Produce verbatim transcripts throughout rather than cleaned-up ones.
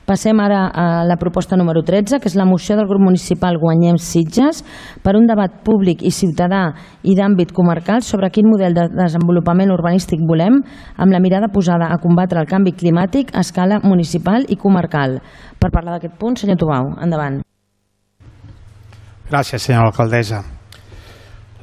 Passem ara a la proposta número tretze, que és la moció del grup municipal Guanyem Sitges per un debat públic i ciutadà i d'àmbit comarcal sobre quin model de desenvolupament urbanístic volem, amb la mirada posada a combatre el canvi climàtic a escala municipal i comarcal. Per parlar d'aquest punt, senyor Tubau, endavant. Gràcies, senyora alcaldessa.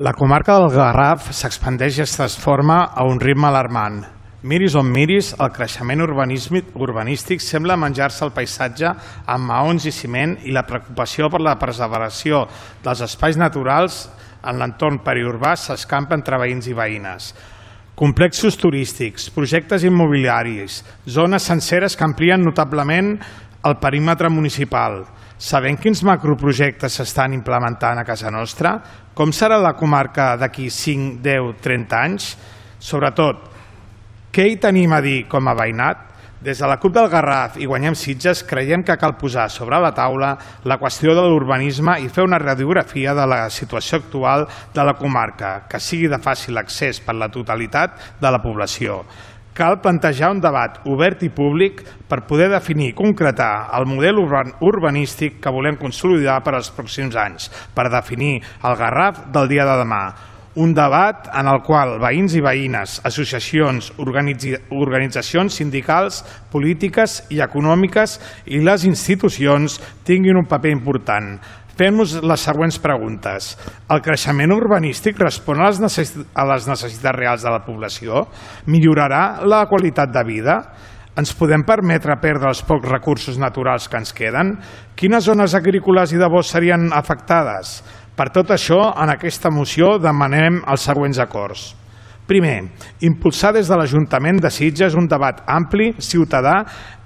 La comarca del Garraf s'expandeix i es transforma a un ritme alarmant. Miris on miris, el creixement urbanístic sembla menjar-se el paisatge amb maons i ciment i la preocupació per la preservació dels espais naturals en l'entorn periurbà s'escampa entre veïns i veïnes. Complexos turístics, projectes immobiliaris, zones senceres que amplien notablement el perímetre municipal. Sabem quins macroprojectes s'estan implementant a casa nostra? Com serà la comarca d'aquí cinc, deu, trenta anys? Sobretot, què hi tenim a dir com a veïnat? Des de la CUP del Garraf i Guanyem Sitges creiem que cal posar sobre la taula la qüestió de l'urbanisme i fer una radiografia de la situació actual de la comarca, que sigui de fàcil accés per la totalitat de la població. Cal plantejar un debat obert i públic per poder definir i concretar el model urbanístic que volem consolidar per als pròxims anys, per definir el Garraf del dia de demà. Un debat en el qual veïns i veïnes, associacions, organitzacions sindicals, polítiques i econòmiques i les institucions tinguin un paper important. Fem-nos les següents preguntes. El creixement urbanístic respon a les necessitats reals de la població? Millorarà la qualitat de vida? Ens podem permetre perdre els pocs recursos naturals que ens queden? Quines zones agrícoles i de bosc serien afectades? Per tot això, en aquesta moció demanem els següents acords. Primer, impulsar des de l'Ajuntament de Sitges un debat ampli, ciutadà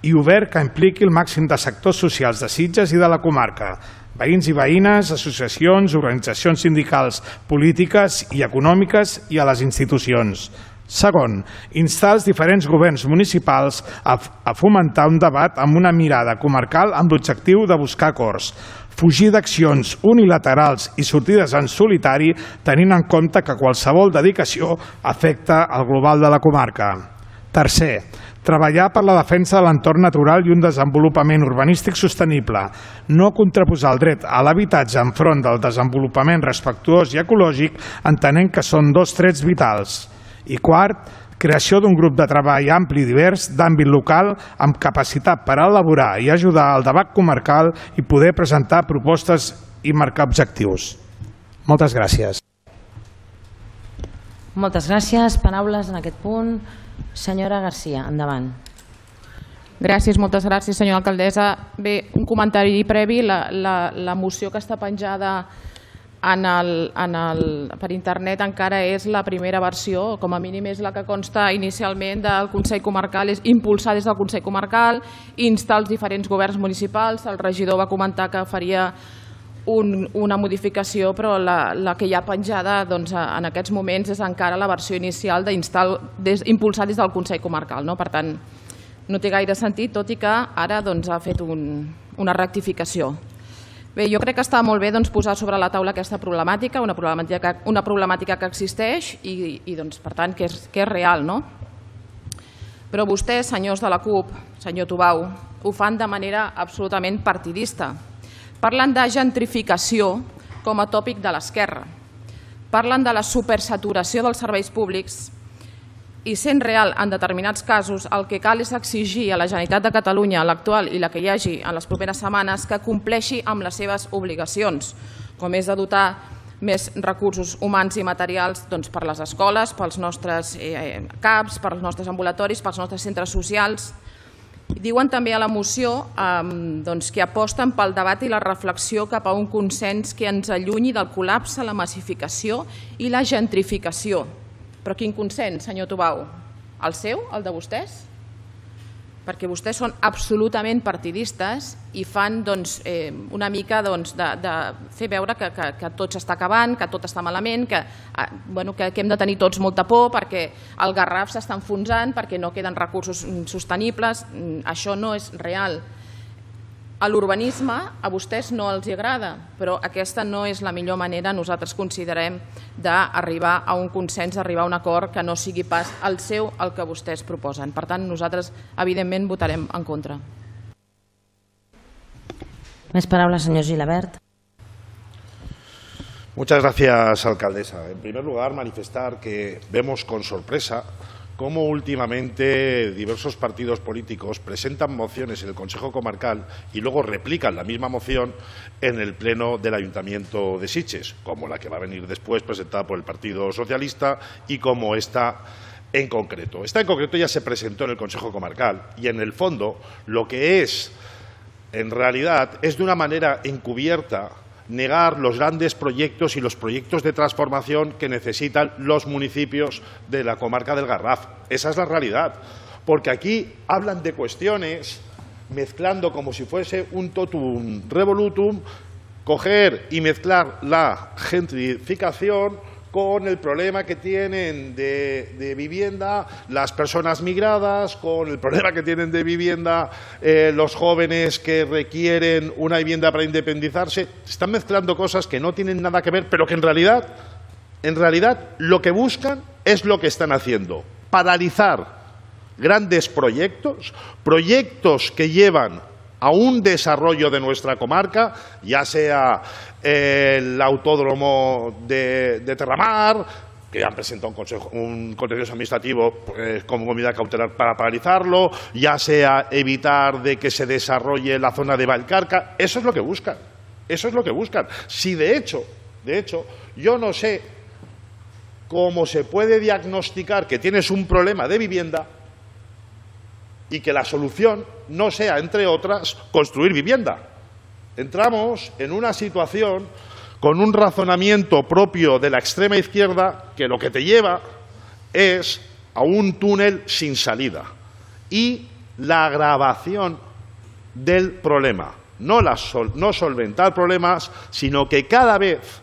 i obert que impliqui el màxim de sectors socials de Sitges i de la comarca, veïns i veïnes, associacions, organitzacions sindicals, polítiques i econòmiques i a les institucions. Segon, instar els diferents governs municipals a fomentar un debat amb una mirada comarcal amb l'objectiu de buscar acords, fugir d'accions unilaterals i sortides en solitari tenint en compte que qualsevol dedicació afecta el global de la comarca. Tercer, treballar per la defensa de l'entorn natural i un desenvolupament urbanístic sostenible, no contraposar el dret a l'habitatge enfront del desenvolupament respectuós i ecològic entenent que són dos trets vitals. I quart, creació d'un grup de treball ampli i divers d'àmbit local amb capacitat per elaborar i ajudar al debat comarcal i poder presentar propostes i marcar objectius. Moltes gràcies. Moltes gràcies. Paraules en aquest punt. Senyora Garcia, endavant. Gràcies, moltes gràcies, senyora alcaldessa. Bé, un comentari previ. La, la, la moció que està penjada En el, en el, per internet encara és la primera versió, com a mínim és la que consta inicialment del Consell Comarcal, és impulsar des del Consell Comarcal, instar els diferents governs municipals. El regidor va comentar que faria un, una modificació, però la, la que hi ha penjada doncs, en aquests moments és encara la versió inicial d'impulsar des del Consell Comarcal. No? Per tant, no té gaire sentit, tot i que ara doncs, ha fet un, una rectificació. Bé, jo crec que està molt bé doncs, posar sobre la taula aquesta problemàtica, una problemàtica que, una problemàtica que existeix i, i doncs, per tant, que és, que és real. No? Però vostès, senyors de la CUP, senyor Tubau, ho fan de manera absolutament partidista. Parlen de gentrificació com a tòpic de l'esquerra. Parlen de la supersaturació dels serveis públics i, sent real en determinats casos, el que cal és exigir a la Generalitat de Catalunya, l'actual i la que hi hagi en les properes setmanes, que compleixi amb les seves obligacions, com és de dotar més recursos humans i materials doncs, per les escoles, pels nostres eh, CAPs, pels nostres ambulatoris, pels nostres centres socials. Diuen també a la moció eh, doncs, que aposten pel debat i la reflexió cap a un consens que ens allunyi del col·lapse, la massificació i la gentrificació. Però quin consens, senyor Tubau? El seu, el de vostès? Perquè vostès són absolutament partidistes i fan doncs, eh, una mica doncs, de, de fer veure que, que, que tot s'està acabant, que tot està malament, que, eh, bueno, que, que hem de tenir tots molta por perquè el Garraf s'està enfonsant, perquè no queden recursos sostenibles. Això no és real. A l'urbanisme a vostès no els agrada, però aquesta no és la millor manera, nosaltres considerem, d'arribar a un consens, d'arribar a un acord que no sigui pas el seu el que vostès proposen. Per tant, nosaltres, evidentment, votarem en contra. Més paraules, senyor Gilabert. Muchas gracias, alcaldesa. En primer lugar, manifestar que vemos con sorpresa cómo últimamente diversos partidos políticos presentan mociones en el Consejo Comarcal y luego replican la misma moción en el Pleno del Ayuntamiento de Sitges, como la que va a venir después presentada por el Partido Socialista y como esta en concreto. Esta en concreto ya se presentó en el Consejo Comarcal y en el fondo lo que es, en realidad, es de una manera encubierta negar los grandes proyectos y los proyectos de transformación que necesitan los municipios de la comarca del Garraf. Esa es la realidad, porque aquí hablan de cuestiones mezclando como si fuese un totum revolutum, coger y mezclar la gentrificación con el problema que tienen de, de vivienda las personas migradas, con el problema que tienen de vivienda eh, los jóvenes que requieren una vivienda para independizarse. Están mezclando cosas que no tienen nada que ver, pero que en realidad, en realidad lo que buscan es lo que están haciendo: paralizar grandes proyectos, proyectos que llevan a un desarrollo de nuestra comarca, ya sea el autódromo de, de Terramar, que han presentado un, consejo, un contencioso administrativo pues, como medida cautelar para paralizarlo, ya sea evitar de que se desarrolle la zona de Valcarca. Eso es lo que buscan, eso es lo que buscan. Si de hecho, de hecho, yo no sé cómo se puede diagnosticar que tienes un problema de vivienda y que la solución no sea, entre otras, construir vivienda. Entramos en una situación con un razonamiento propio de la extrema izquierda que lo que te lleva es a un túnel sin salida y la agravación del problema. No, la sol, no solventar problemas, sino que cada vez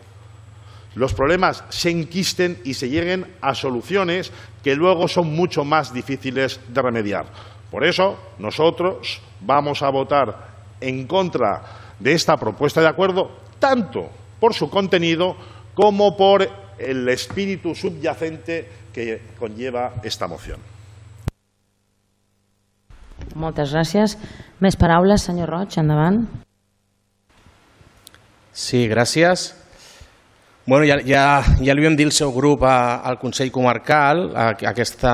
los problemas se enquisten y se lleguen a soluciones que luego son mucho más difíciles de remediar. Por eso, nosotros vamos a votar en contra de esta propuesta de acuerdo, tanto por su contenido como por el espíritu subyacente que conlleva esta moción. Moltes gràcies. Més paraules, senyor Roig, endavant. Sí, gràcies. Bueno, ja, ja, ja li vam dir al seu grup a, al Consell Comarcal a, a aquesta,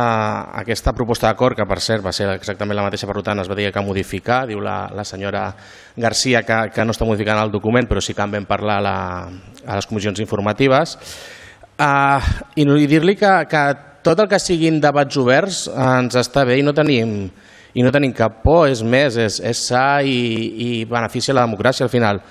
a aquesta proposta d'acord, que per cert va ser exactament la mateixa, per tant es va dir que modificar, diu la, la senyora Garcia que, que no està modificant el document, però sí que en vam parlar a, la, a les comissions informatives. Uh, I, i dir-li que, que tot el que siguin debats oberts ens està bé i no tenim, i no tenim cap por, és més, és, és sa i, i beneficia la democràcia al final.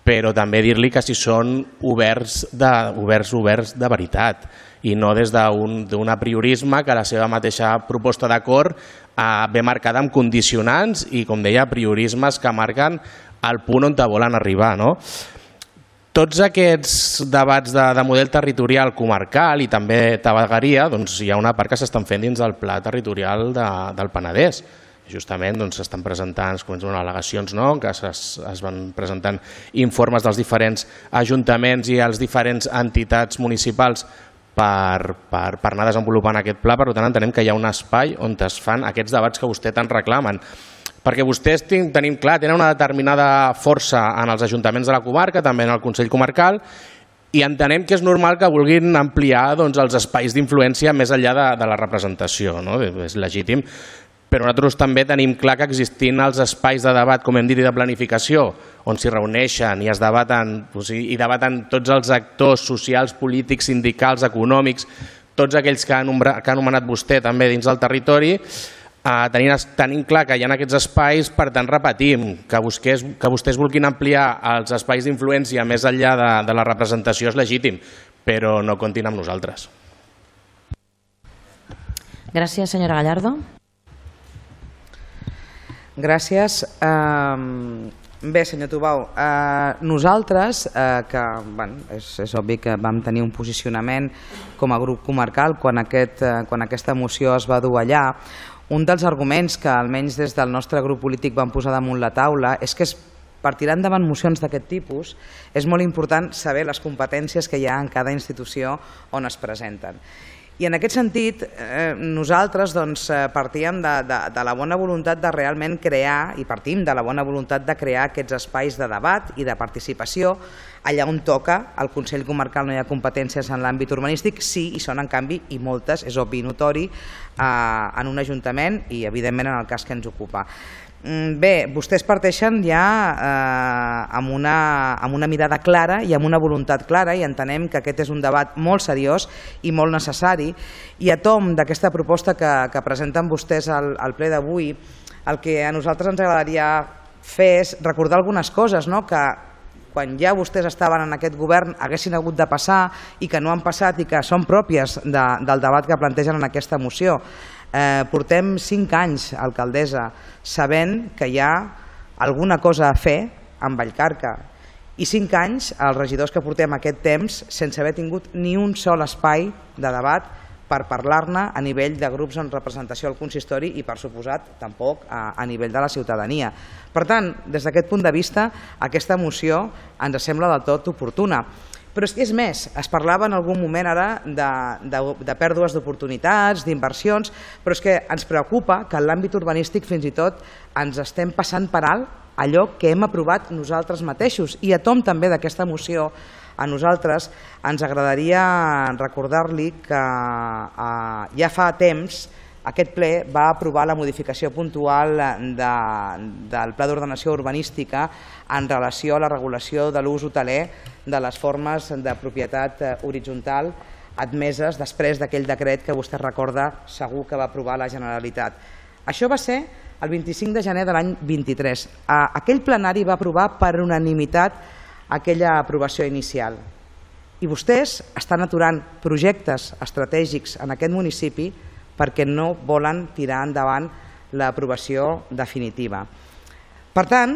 Però també dir-li que si són oberts de, oberts, oberts de veritat i no des d'un d'un apriorisme que la seva mateixa proposta d'acord eh, ve marcada amb condicionants i, com deia, apriorismes que marquen el punt on te volen arribar. No? Tots aquests debats de, de model territorial comarcal i també de vegueria, doncs hi ha una part que s'estan fent dins del pla territorial de, del Penedès. Justament s'estan doncs, presentant bueno, al·legacions, no? Que es, es van presentant informes dels diferents ajuntaments i els diferents entitats municipals per, per, per anar desenvolupant aquest pla. Per tant, entenem que hi ha un espai on es fan aquests debats que vostè tant reclamen. Perquè vostès tenim clar, tenen una determinada força en els ajuntaments de la comarca, també en el Consell Comarcal, i entenem que és normal que vulguin ampliar doncs, els espais d'influència més enllà de, de la representació. No? És legítim. Però nosaltres també tenim clar que existint els espais de debat, com hem dit, i de planificació, on s'hi reuneixen i es debaten, i debaten tots els actors socials, polítics, sindicals, econòmics, tots aquells que ha anomenat vostè també dins del territori, tenim clar que hi ha aquests espais, per tant repetim, que vostès vulguin ampliar els espais d'influència més enllà de la representació és legítim, però no comptin amb nosaltres. Gràcies, senyora Gallardo. Gràcies. Bé, senyor Tubau, nosaltres, que és obvi que vam tenir un posicionament com a grup comarcal quan aquesta moció es va dur allà, un dels arguments que almenys des del nostre grup polític vam posar damunt la taula és que per tirar endavant mocions d'aquest tipus és molt important saber les competències que hi ha en cada institució on es presenten. I en aquest sentit, nosaltres partíem de la bona voluntat de realment crear, i partim de la bona voluntat de crear aquests espais de debat i de participació allà on toca. Al Consell Comarcal no hi ha competències en l'àmbit urbanístic, sí, i són en canvi, i moltes, és obvi i notori, en un ajuntament i evidentment en el cas que ens ocupa. Bé, vostès parteixen ja amb una mirada clara i amb una voluntat clara i entenem que aquest és un debat molt seriós i molt necessari, i a tom d'aquesta proposta que presenten vostès al ple d'avui, el que a nosaltres ens agradaria fer és recordar algunes coses que quan ja vostès estaven en aquest govern haguessin hagut de passar i que no han passat i que són pròpies del debat que plantegen en aquesta moció. Portem cinc anys, alcaldessa, sabent que hi ha alguna cosa a fer amb Vallcarca, i cinc anys els regidors que portem aquest temps sense haver tingut ni un sol espai de debat per parlar-ne a nivell de grups en representació al consistori i, per suposat, tampoc a nivell de la ciutadania. Per tant, des d'aquest punt de vista, aquesta moció ens sembla del tot oportuna. Però és més, es parlava en algun moment ara de pèrdues d'oportunitats, d'inversions, però és que ens preocupa que en l'àmbit urbanístic fins i tot ens estem passant per alt allò que hem aprovat nosaltres mateixos. I a tom també d'aquesta moció, a nosaltres ens agradaria recordar-li que ja fa temps aquest ple va aprovar la modificació puntual del Pla d'Ordenació Urbanística en relació a la regulació de l'ús hoteler de les formes de propietat horitzontal admeses després d'aquell decret que vostè recorda segur que va aprovar la Generalitat. Això va ser el vint-i-cinc de gener de l'any vint-i-tres. Aquell plenari va aprovar per unanimitat aquella aprovació inicial. I vostès estan aturant projectes estratègics en aquest municipi perquè no volen tirar endavant l'aprovació definitiva. Per tant,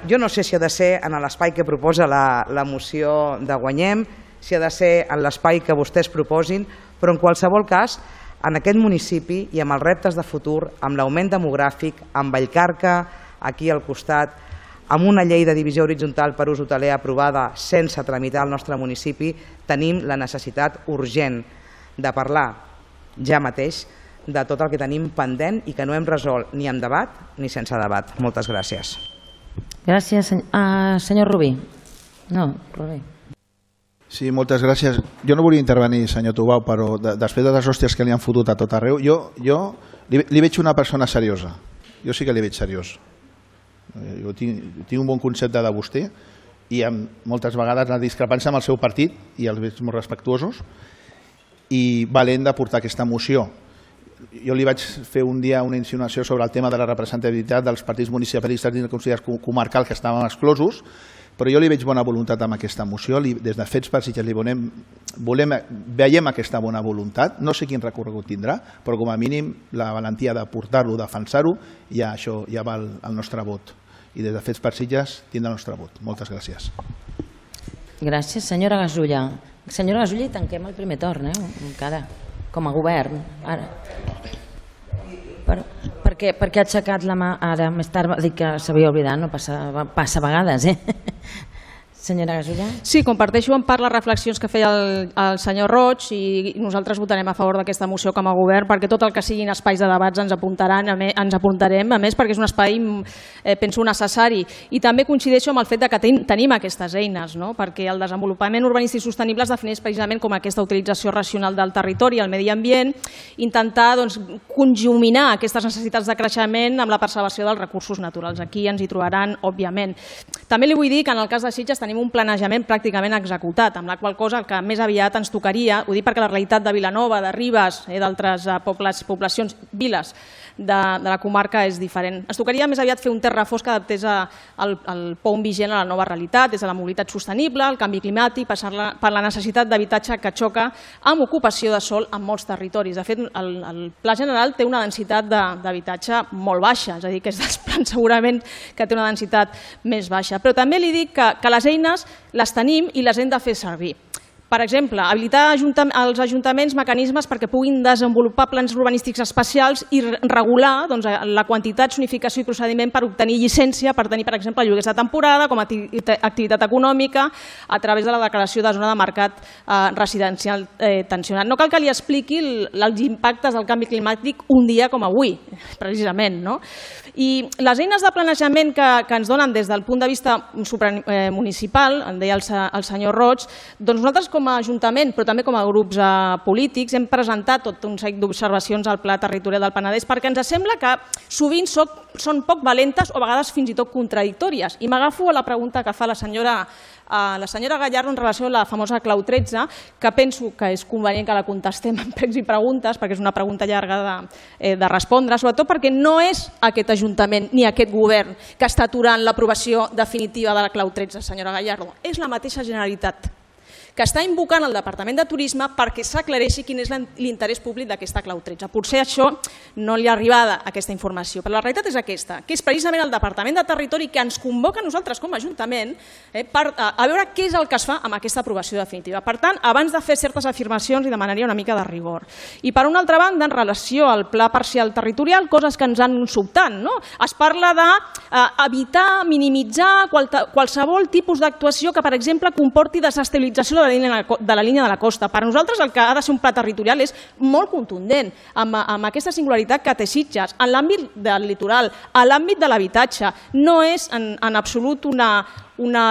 jo no sé si ha de ser en l'espai que proposa la moció de Guanyem, si ha de ser en l'espai que vostès proposin, però en qualsevol cas, en aquest municipi i amb els reptes de futur, amb l'augment demogràfic, amb Vallcarca aquí al costat, amb una llei de divisió horitzontal per ús hoteler aprovada sense tramitar al nostre municipi, tenim la necessitat urgent de parlar ja mateix de tot el que tenim pendent i que no hem resolt ni en debat ni sense debat. Moltes gràcies. Gràcies. Senyor Rubí. No, Rubí. Sí, moltes gràcies. Jo no volia intervenir, senyor Tubau, però després de les hòsties que li han fotut a tot arreu, jo li veig una persona seriosa. Jo sí que li veig seriós. Jo tinc un bon concepte de vostè i moltes vegades la discrepància amb el seu partit i els veig molt respectuosos i valent de portar aquesta moció. Jo li vaig fer un dia una insinuació sobre el tema de la representativitat dels partits municipalistes dins del Consell Comarcal que estaven exclosos, però jo li veig bona voluntat amb aquesta moció. Des de Fets per Sitges li veiem aquesta bona voluntat. No sé quin recorregut tindrà, però com a mínim la valentia de portar-lo, defensar-ho, ja això ja val el nostre vot. I des de Fets per Sitges tindrà el nostre vot. Moltes gràcies. Gràcies. Senyora Gasulla. Senyora Gasulla, i tanquem el primer torn, encara, com a govern. Per què ha aixecat la mà ara? Més tard va dir que s'havia oblidat, no passa a vegades, eh? Senyora Gasulla. Sí, comparteixo en part les reflexions que feia el senyor Roig i nosaltres votarem a favor d'aquesta moció com a govern perquè tot el que siguin espais de debats ens apuntaran, ens apuntarem, a més perquè és un espai, penso, necessari. I també coincideixo amb el fet que tenim aquestes eines, perquè el desenvolupament urbanístic sostenible es defineix precisament com aquesta utilització racional del territori i el medi ambient, intentar conjuminar aquestes necessitats de creixement amb la preservació dels recursos naturals. Aquí ens hi trobaran, òbviament. També li vull dir que en el cas de Sitges tenim un planejament pràcticament executat, amb la qual cosa el que més aviat ens tocaria, ho dic perquè la realitat de Vilanova, de Ribes, d'altres poblacions, viles de la comarca és diferent. Ens tocaria més aviat fer un terrafós que adaptés el P O U M vigent a la nova realitat, des de la mobilitat sostenible, el canvi climàtic, per la necessitat d'habitatge que xoca amb ocupació de sòl en molts territoris. De fet, el Pla General té una densitat d'habitatge molt baixa, és a dir, que és dels plans segurament que té una densitat més baixa. Però també li dic que les eines les tenim i les hem de fer servir. Per exemple, habilitar als ajuntaments mecanismes perquè puguin desenvolupar plans urbanístics especials i regular la quantitat, zonificació i procediment per obtenir llicència per tenir, per exemple, lloguers de temporada com a activitat econòmica a través de la declaració de zona de mercat residencial tensionat. No cal que li expliqui els impactes del canvi climàtic un dia com avui, precisament. I les eines de planejament que ens donen des del punt de vista supramunicipal, en deia el senyor Roig, doncs nosaltres com a Ajuntament, però també com a grups polítics, hem presentat tot un seguit d'observacions al Pla Territorial del Penedès perquè ens sembla que sovint són poc valentes o a vegades fins i tot contradictòries. I m'agafo a la pregunta que fa la senyora la senyora Gallardo en relació a la famosa clau tretze, que penso que és convenient que la contestem en pregs i preguntes, perquè és una pregunta llarga de respondre, sobretot perquè no és aquest Ajuntament ni aquest govern que està aturant l'aprovació definitiva de la clau tretze, senyora Gallardo. És la mateixa Generalitat que està invocant el Departament de Turisme perquè s'aclareixi quin és l'interès públic d'aquesta clau tretze. Potser això no li ha arribada aquesta informació, però la realitat és aquesta, que és precisament el Departament de Territori que ens convoca a nosaltres com a Ajuntament a veure què és el que es fa amb aquesta aprovació definitiva. Per tant, abans de fer certes afirmacions, li demanaria una mica de rigor. I per una altra banda, en relació al Pla Parcial Territorial, coses que ens han sobtat. Es parla d'evitar, minimitzar qualsevol tipus d'actuació que, per exemple, comporti desestabilització de la línia de la costa. Per nosaltres el que ha de ser un pla territorial és molt contundent amb aquesta singularitat que té Sitges. En l'àmbit del litoral, a l'àmbit de l'habitatge, no és en absolut una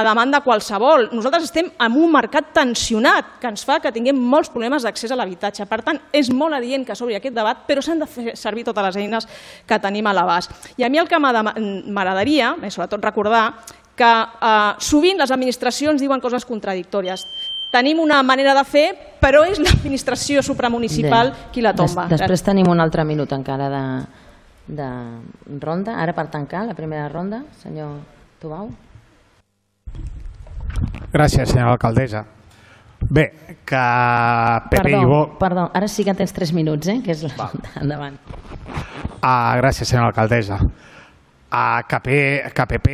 demanda qualsevol. Nosaltres estem en un mercat tensionat que ens fa que tinguem molts problemes d'accés a l'habitatge. Per tant, és molt adient que s'obri aquest debat, però s'han de fer servir totes les eines que tenim a l'abast. I a mi el que m'agradaria, sobretot recordar, que sovint les administracions diuen coses contradictòries. Tenim una manera de fer, però és l'administració supramunicipal qui la tomba. Després tenim un altre minut encara de ronda. Ara per tancar la primera ronda, senyor Tubau. Gràcies, senyora alcaldessa. Bé, que P P i Vox... Perdó, ara sí que tens tres minuts, eh? Que és la... Endavant. Gràcies, senyora alcaldessa. Que P P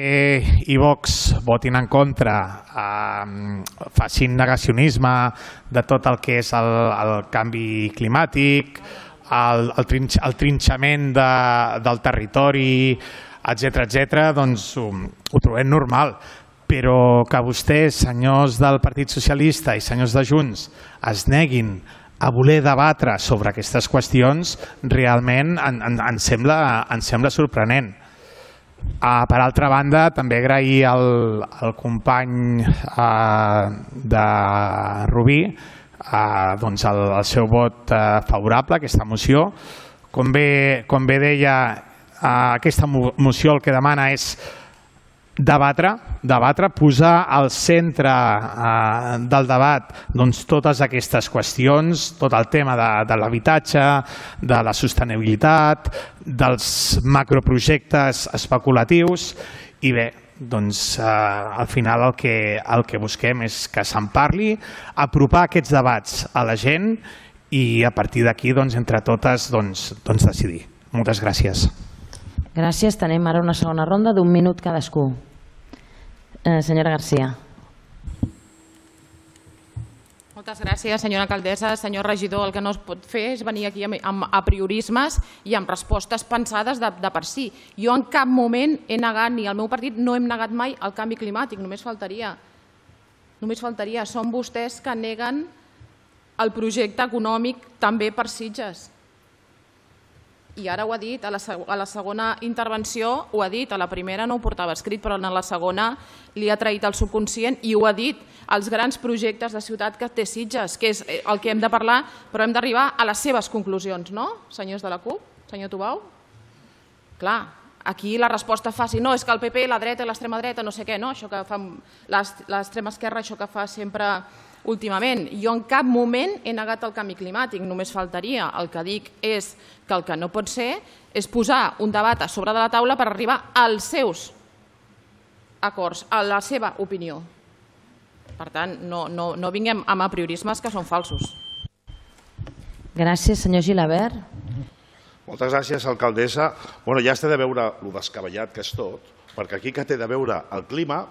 i Vox votin en contra, facin negacionisme de tot el que és el canvi climàtic, el trinxament del territori, etcètera, doncs ho trobem normal. Però que vostès, senyors del Partit Socialista i senyors de Junts, es neguin a voler debatre sobre aquestes qüestions, realment ens sembla sorprenent. Per altra banda, també agrair al company de Rubí el seu vot favorable a aquesta moció. Com bé deia, aquesta moció el que demana és debatre, debatre, posar al centre del debat totes aquestes qüestions, tot el tema de l'habitatge, de la sostenibilitat, dels macroprojectes especulatius i bé, doncs al final el que busquem és que se'n parli, apropar aquests debats a la gent i a partir d'aquí entre totes decidir. Moltes gràcies. Gràcies. Tenim ara una segona ronda d'un minut cadascú. Senyora García. Moltes gràcies, senyora alcaldessa. Senyor regidor, el que no es pot fer és venir aquí amb apriorismes i amb respostes pensades de per si. Jo en cap moment he negat, ni el meu partit no hem negat mai el canvi climàtic, només faltaria. Només faltaria. Són vostès que neguen el projecte econòmic també per Sitges. I ara ho ha dit, a la segona intervenció ho ha dit, a la primera no ho portava escrit, però en la segona li ha traït el subconscient i ho ha dit, els grans projectes de ciutat que té Sitges, que és el que hem de parlar, però hem d'arribar a les seves conclusions, no, senyors de la CUP? Senyor Tubau? Clar, aquí la resposta fàcil, no, és que el P P, la dreta i l'extrema dreta, no sé què, no, això que fa l'extrema esquerra, això que fa sempre últimament. Jo en cap moment he negat el canvi climàtic, només faltaria. El que dic és que el que no pot ser és posar un debat a sobre de la taula per arribar als seus acords, a la seva opinió. Per tant, no vinguem amb apriorismes que són falsos. Gràcies, senyor Gilabert. Moltes gràcies, alcaldessa. Ja has de veure el descabellat que és tot, perquè aquí que té de veure el clima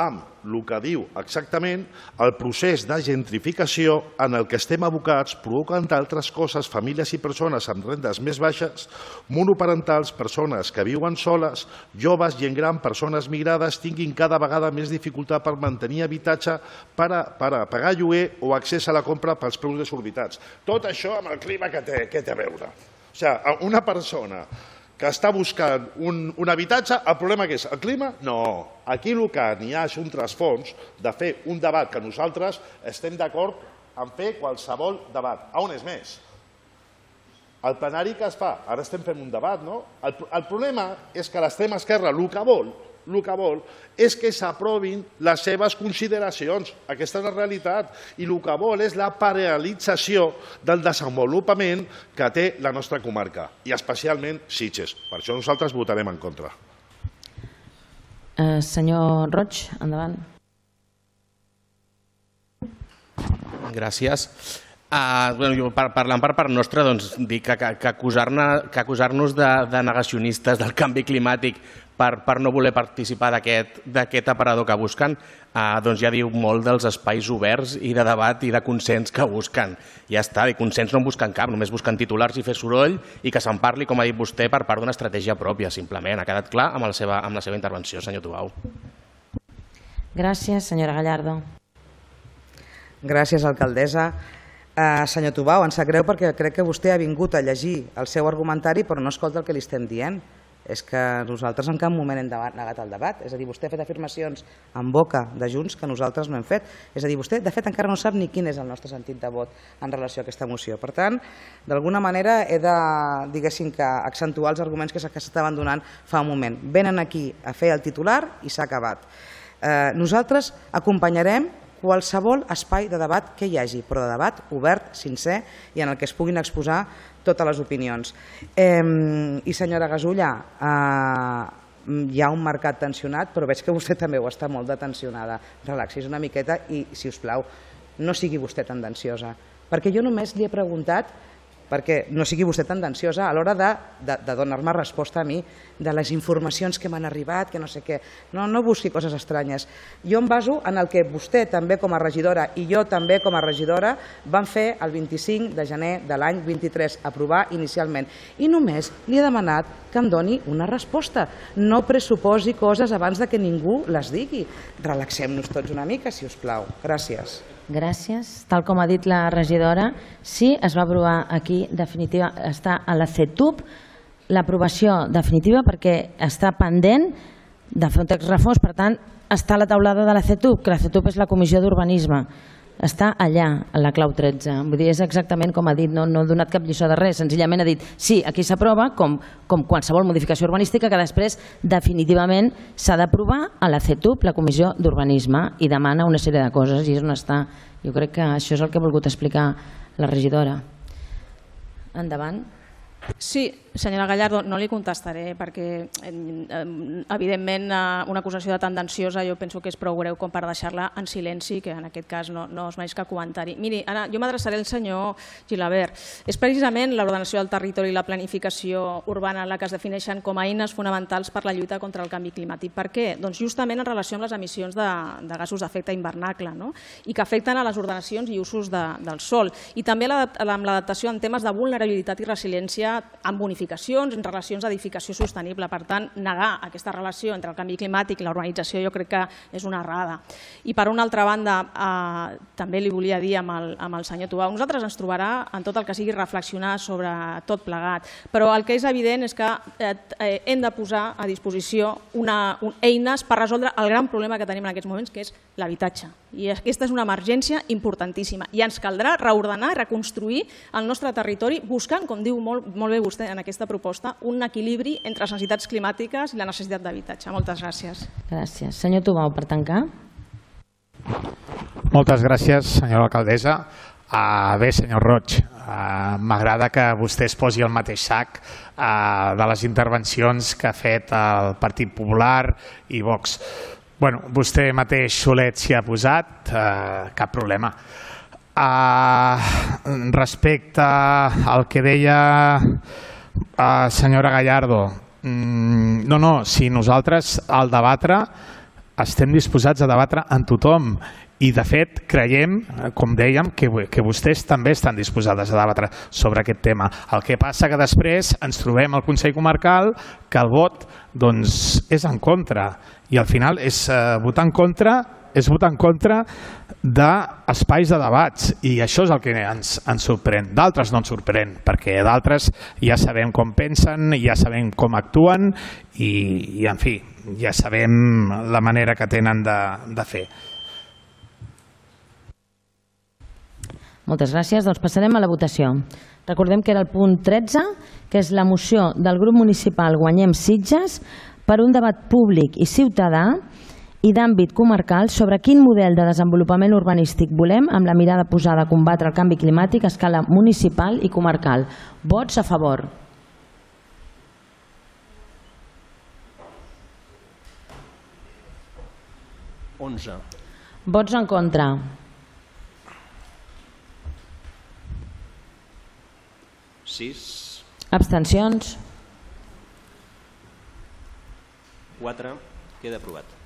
amb el que diu exactament el procés de gentrificació en el que estem abocats, provocant altres coses, famílies i persones amb rendes més baixes, monoparentals, persones que viuen soles, joves, gent gran, persones migrades, tinguin cada vegada més dificultat per mantenir habitatge, per a, per a pagar lloguer o accés a la compra pels preus desorbitats. Tot això amb el clima que té, que té a veure. O sigui, una persona que està buscant un, un habitatge, el problema que és el clima? No. Aquí el que n'hi ha és un trasfons de fer un debat que nosaltres estem d'acord en fer qualsevol debat. A on és més? El plenari que es fa, ara estem fent un debat, no? El, el problema és que l'extrema esquerra el que vol el que vol és que s'aprovin les seves consideracions. Aquesta és la realitat. I el que vol és la paralització del desenvolupament que té la nostra comarca, i especialment Sitges. Per això nosaltres votarem en contra. Eh, senyor Roig, endavant. Gràcies. Uh, bueno, jo, par parlant per part nostra, doncs, dic que, que, que acusar-nos acusar de, de negacionistes del canvi climàtic per, per no voler participar d'aquest aparador que busquen, uh, doncs ja diu molt dels espais oberts i de debat i de consens que busquen. Ja està, i consens no en busquen cap, només busquen titulars i fer soroll i que se'n parli, com ha dit vostè, per part d'una estratègia pròpia, simplement. Ha quedat clar amb la seva, amb la seva intervenció, senyor Tubau. Gràcies, senyora Gallardo. Gràcies, alcaldessa. Uh, senyor Tubau, em sap greu perquè crec que vostè ha vingut a llegir el seu argumentari però no escolta el que li estem dient. És que nosaltres en cap moment hem negat el debat. És a dir, vostè ha fet afirmacions en boca de Junts que nosaltres no hem fet. És a dir, vostè de fet encara no sap ni quin és el nostre sentit de vot en relació a aquesta moció. Per tant, d'alguna manera he de, diguéssim, que accentuar els arguments que s'estaven donant fa un moment. Venen aquí a fer el titular i s'ha acabat. Eh, nosaltres acompanyarem qualsevol espai de debat que hi hagi, però de debat obert, sincer i en el que es puguin exposar totes les opinions. Eh, I senyora Gasulla, eh, hi ha un mercat tensionat, però veig que vostè també ho està molt de tensionada. Relaxis una miqueta i, si us plau, no sigui vostè tendenciosa. Perquè jo només li he preguntat, perquè no sigui vostè tendenciosa a l'hora de, de, de donar-me resposta a mi de les informacions que m'han arribat, que no sé què. No, no busqui coses estranyes. Jo em baso en el que vostè també com a regidora i jo també com a regidora vam fer el vint-i-cinc de gener de l'any vint-i-tres, aprovar inicialment. I només li he demanat que em doni una resposta. No pressuposi coses abans de que ningú les digui. Relaxem-nos tots una mica, si us plau. Gràcies. Gràcies. Tal com ha dit la regidora, sí, es va aprovar aquí, definitiva, està a la C E T U B, l'aprovació definitiva perquè està pendent de fer un text refós, per tant, està a la taulada de la C E T U B, que la C E T U B és la Comissió d'Urbanisme. Està allà, a la clau tretze. Vull dir, és exactament com ha dit, no, no ha donat cap lliçó de res, senzillament ha dit sí, aquí s'aprova, com, com qualsevol modificació urbanística que després definitivament s'ha d'aprovar a la C E T U B, la Comissió d'Urbanisme, i demana una sèrie de coses i és on està. Jo crec que això és el que ha volgut explicar la regidora. Endavant. Sí, senyora Gallardo, no li contestaré perquè, evidentment, una acusació de tendenciosa jo penso que és prou greu com per deixar-la en silenci, que en aquest cas no, no es mereix cap comentari. Miri, ara jo m'adreçaré al senyor Gilabert. És precisament l'ordenació del territori i la planificació urbana la que es defineixen com a eines fonamentals per la lluita contra el canvi climàtic. Per què? Doncs justament en relació amb les emissions de, de gasos d'efecte hivernacle, no? I que afecten a les ordenacions i usos de, del sòl. I també amb l'adaptació en temes de vulnerabilitat i resiliència amb bonificacions, en relacions d'edificació sostenible. Per tant, negar aquesta relació entre el canvi climàtic i la urbanització jo crec que és una errada. I per una altra banda, eh, també li volia dir amb el, amb el senyor Tubau, nosaltres ens trobarà en tot el que sigui reflexionar sobre tot plegat, però el que és evident és que eh, hem de posar a disposició una, un, eines per resoldre el gran problema que tenim en aquests moments, que és l'habitatge. I aquesta és una emergència importantíssima i ens caldrà reordenar i reconstruir el nostre territori buscant, com diu molt, molt bé vostè en aquesta proposta, un equilibri entre les necessitats climàtiques i la necessitat d'habitatge. Moltes gràcies. Gràcies. Senyor Tubau, per tancar. Moltes gràcies, senyora alcaldessa. Uh, bé, senyor Roig, uh, m'agrada que vostè es posi al mateix sac uh, de les intervencions que ha fet el Partit Popular i Vox. Bueno, vostè mateix solet s'hi ha posat, uh, cap problema. Uh, respecte al que deia uh, senyora Gallardo, Mm, no, no, si nosaltres al debatre estem disposats a debatre amb tothom i de fet creiem, com dèiem, que, que vostès també estan disposades a debatre sobre aquest tema. El que passa que després ens trobem al Consell Comarcal que el vot doncs, és en contra i al final és eh, votar en contra és votar en contra d'espais de debats i això és el que ens, ens sorprèn. D'altres no ens sorprèn perquè d'altres ja sabem com pensen, ja sabem com actuen i, i en fi, ja sabem la manera que tenen de, de fer. Moltes gràcies. Doncs passarem a la votació. Recordem que era el punt tretze, que és la moció del grup municipal Guanyem Sitges per un debat públic i ciutadà i d'àmbit comarcal sobre quin model de desenvolupament urbanístic volem amb la mirada posada a combatre el canvi climàtic a escala municipal i comarcal. Vots a favor. onze. Vots en contra. sis. Abstencions. quatre. Queda aprovat.